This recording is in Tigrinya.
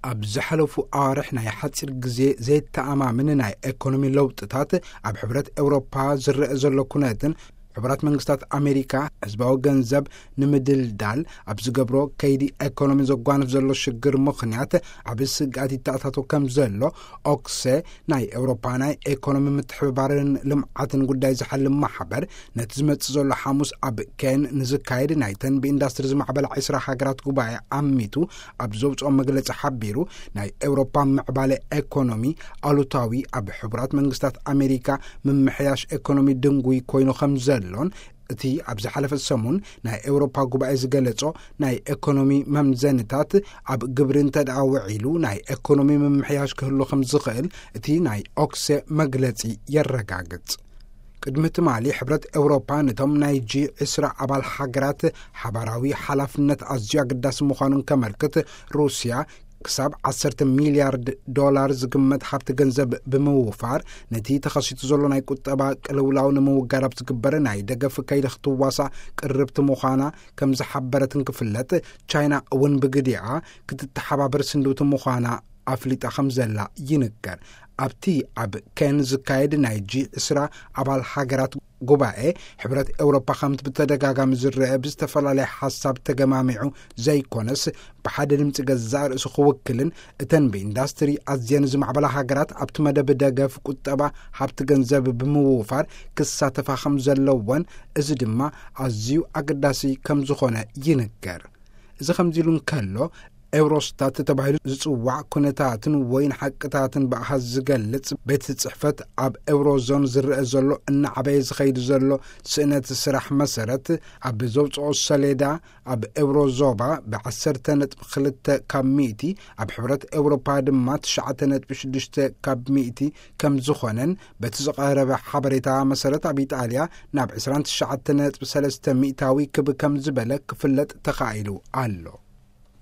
ኣብ ዝሓለፉ ኣዋርሕ ናይ ሓጺር ግዜ ዘይተኣማምን ናይ ኤኮኖሚ ለውጥታት፣ ኣብ ሕብረት ኤውሮፓ ዝረአ ዘሎ ኩነትን፣ ሕቡራት መንግስታት ኣሜሪካ ህዝባዊ ገንዘብ ንምድልዳል ኣብ ዝገብሮ ከይዲ ኤኮኖሚ ዘጓንፍ ዘሎ ሽግር ምኽንያት፣ ዓቢ ስግኣት ይተኣታቶ ከም ዘሎ ኦክሴ፣ ናይ ኤውሮፓ ናይ ኤኮኖሚ ምትሕብባርን ልምዓትን ጉዳይ ዝሓልም ማሕበር፣ ነቲ ዝመጽእ ዘሎ ሓሙስ ኣብ ኬን ንዝካየድ ናይተን ብኢንዳስትሪ ዝማዕበላ ዕስራ ሃገራት ጉባኤ ዓሚቱ ኣብ ዘውጽኦ መግለጺ ሓቢሩ፣ ናይ ኤውሮፓ ምዕባለ ኤኮኖሚ ኣሉታዊ፣ ኣብ ሕቡራት መንግስታት ኣሜሪካ ምምሕያሽ ኤኮኖሚ ድንጉይ ኮይኑ ከም ዘሎን፣ እቲ ኣብ ዝሓለፈ ሰሙን ናይ ኤውሮፓ ጉባኤ ዝገለጾ ናይ ኤኮኖሚ መምዘንታት ኣብ ግብሪ እንተ ደኣ ውዒሉ፣ ናይ ኤኮኖሚ ምምሕያሽ ክህሉ ከም ዝኽእል እቲ ናይ ኦክሴ መግለጺ የረጋግጽ። ቅድሚ ትማሊ፣ ሕብረት ኤውሮፓ ነቶም ናይ ጂ ዕስራ ኣባል ሃገራት ሓባራዊ ሓላፍነት ኣዝዩ ኣገዳሲ ምዃኑን ከመልክት፣ ሩስያ ክሳብ ዓሰርተ ሚልያርድ ዶላር ዝግመት ሃብቲ ገንዘብ ብምውፋር፣ ነቲ ተኸሲቱ ዘሎ ናይ ቁጠባ ቅልውላው ንምውጋድ ኣብ ዝግበር ናይ ደገፍ ከይዲ ክትዋሳእ ቅርብቲ ምዃና ከም ዝሓበረትን ክፍለጥ፣ ቻይና እውን ብግዲኣ ክትተሓባበር ስንድውቲ ምዃና ኣፍሊጣ ከም ዘላ ይንገር። ኣብቲ ኣብ ኬን ዝካየድ ናይ ጂ ዕስራ ኣባል ሃገራት ጉባኤ፣ ሕብረት ኤውሮፓ ከምቲ ብተደጋጋሚ ዝረአ ብዝተፈላለየ ሓሳብ ተገማሚዑ ዘይኮነስ፣ ብሓደ ድምፂ ገዛእ ርእሱ ክውክልን፣ እተን ብኢንዳስትሪ ኣዝየን ዝማዕበላ ሃገራት ኣብቲ መደብ ደገፍ ቁጠባ ሃብቲ ገንዘብ ብምውፋር ክሳተፋ ከም ዘለወን፣ እዚ ድማ ኣዝዩ ኣገዳሲ ከም ዝኾነ ይንገር። እዚ ከምዚ ኢሉ እንከሎ፣ ኤውሮስታት ተባሂሉ ዝጽዋዕ ኩነታትን ወይን ሓቅታትን ብኣሃዝ ዝገልጽ ቤት ጽሕፈት፣ ኣብ ኤውሮዞን ዝረአ ዘሎ እናዓበየ ዝኸይድ ዘሎ ስእነት ስራሕ መሰረት፣ ኣብ ዘውጽኦ ሰሌዳ፣ ኣብ ኤውሮ ዞባ ብ ዓሰርተ ነጥቢ ክልተ ካብ ሚእቲ፣ ኣብ ሕብረት ኤውሮፓ ድማ ትሽዓተ ነጥቢ ሽዱሽተ ካብ ሚእቲ ከም ዝኾነን፣ በቲ ዝቐረበ ሓበሬታ መሰረት፣ ኣብ ኢጣልያ ናብ ዕስራን ትሽዓተ ነጥቢ ሰለስተ ሚእታዊ ክብ ከም ዝበለ ክፍለጥ ተኻኢሉ ኣሎ።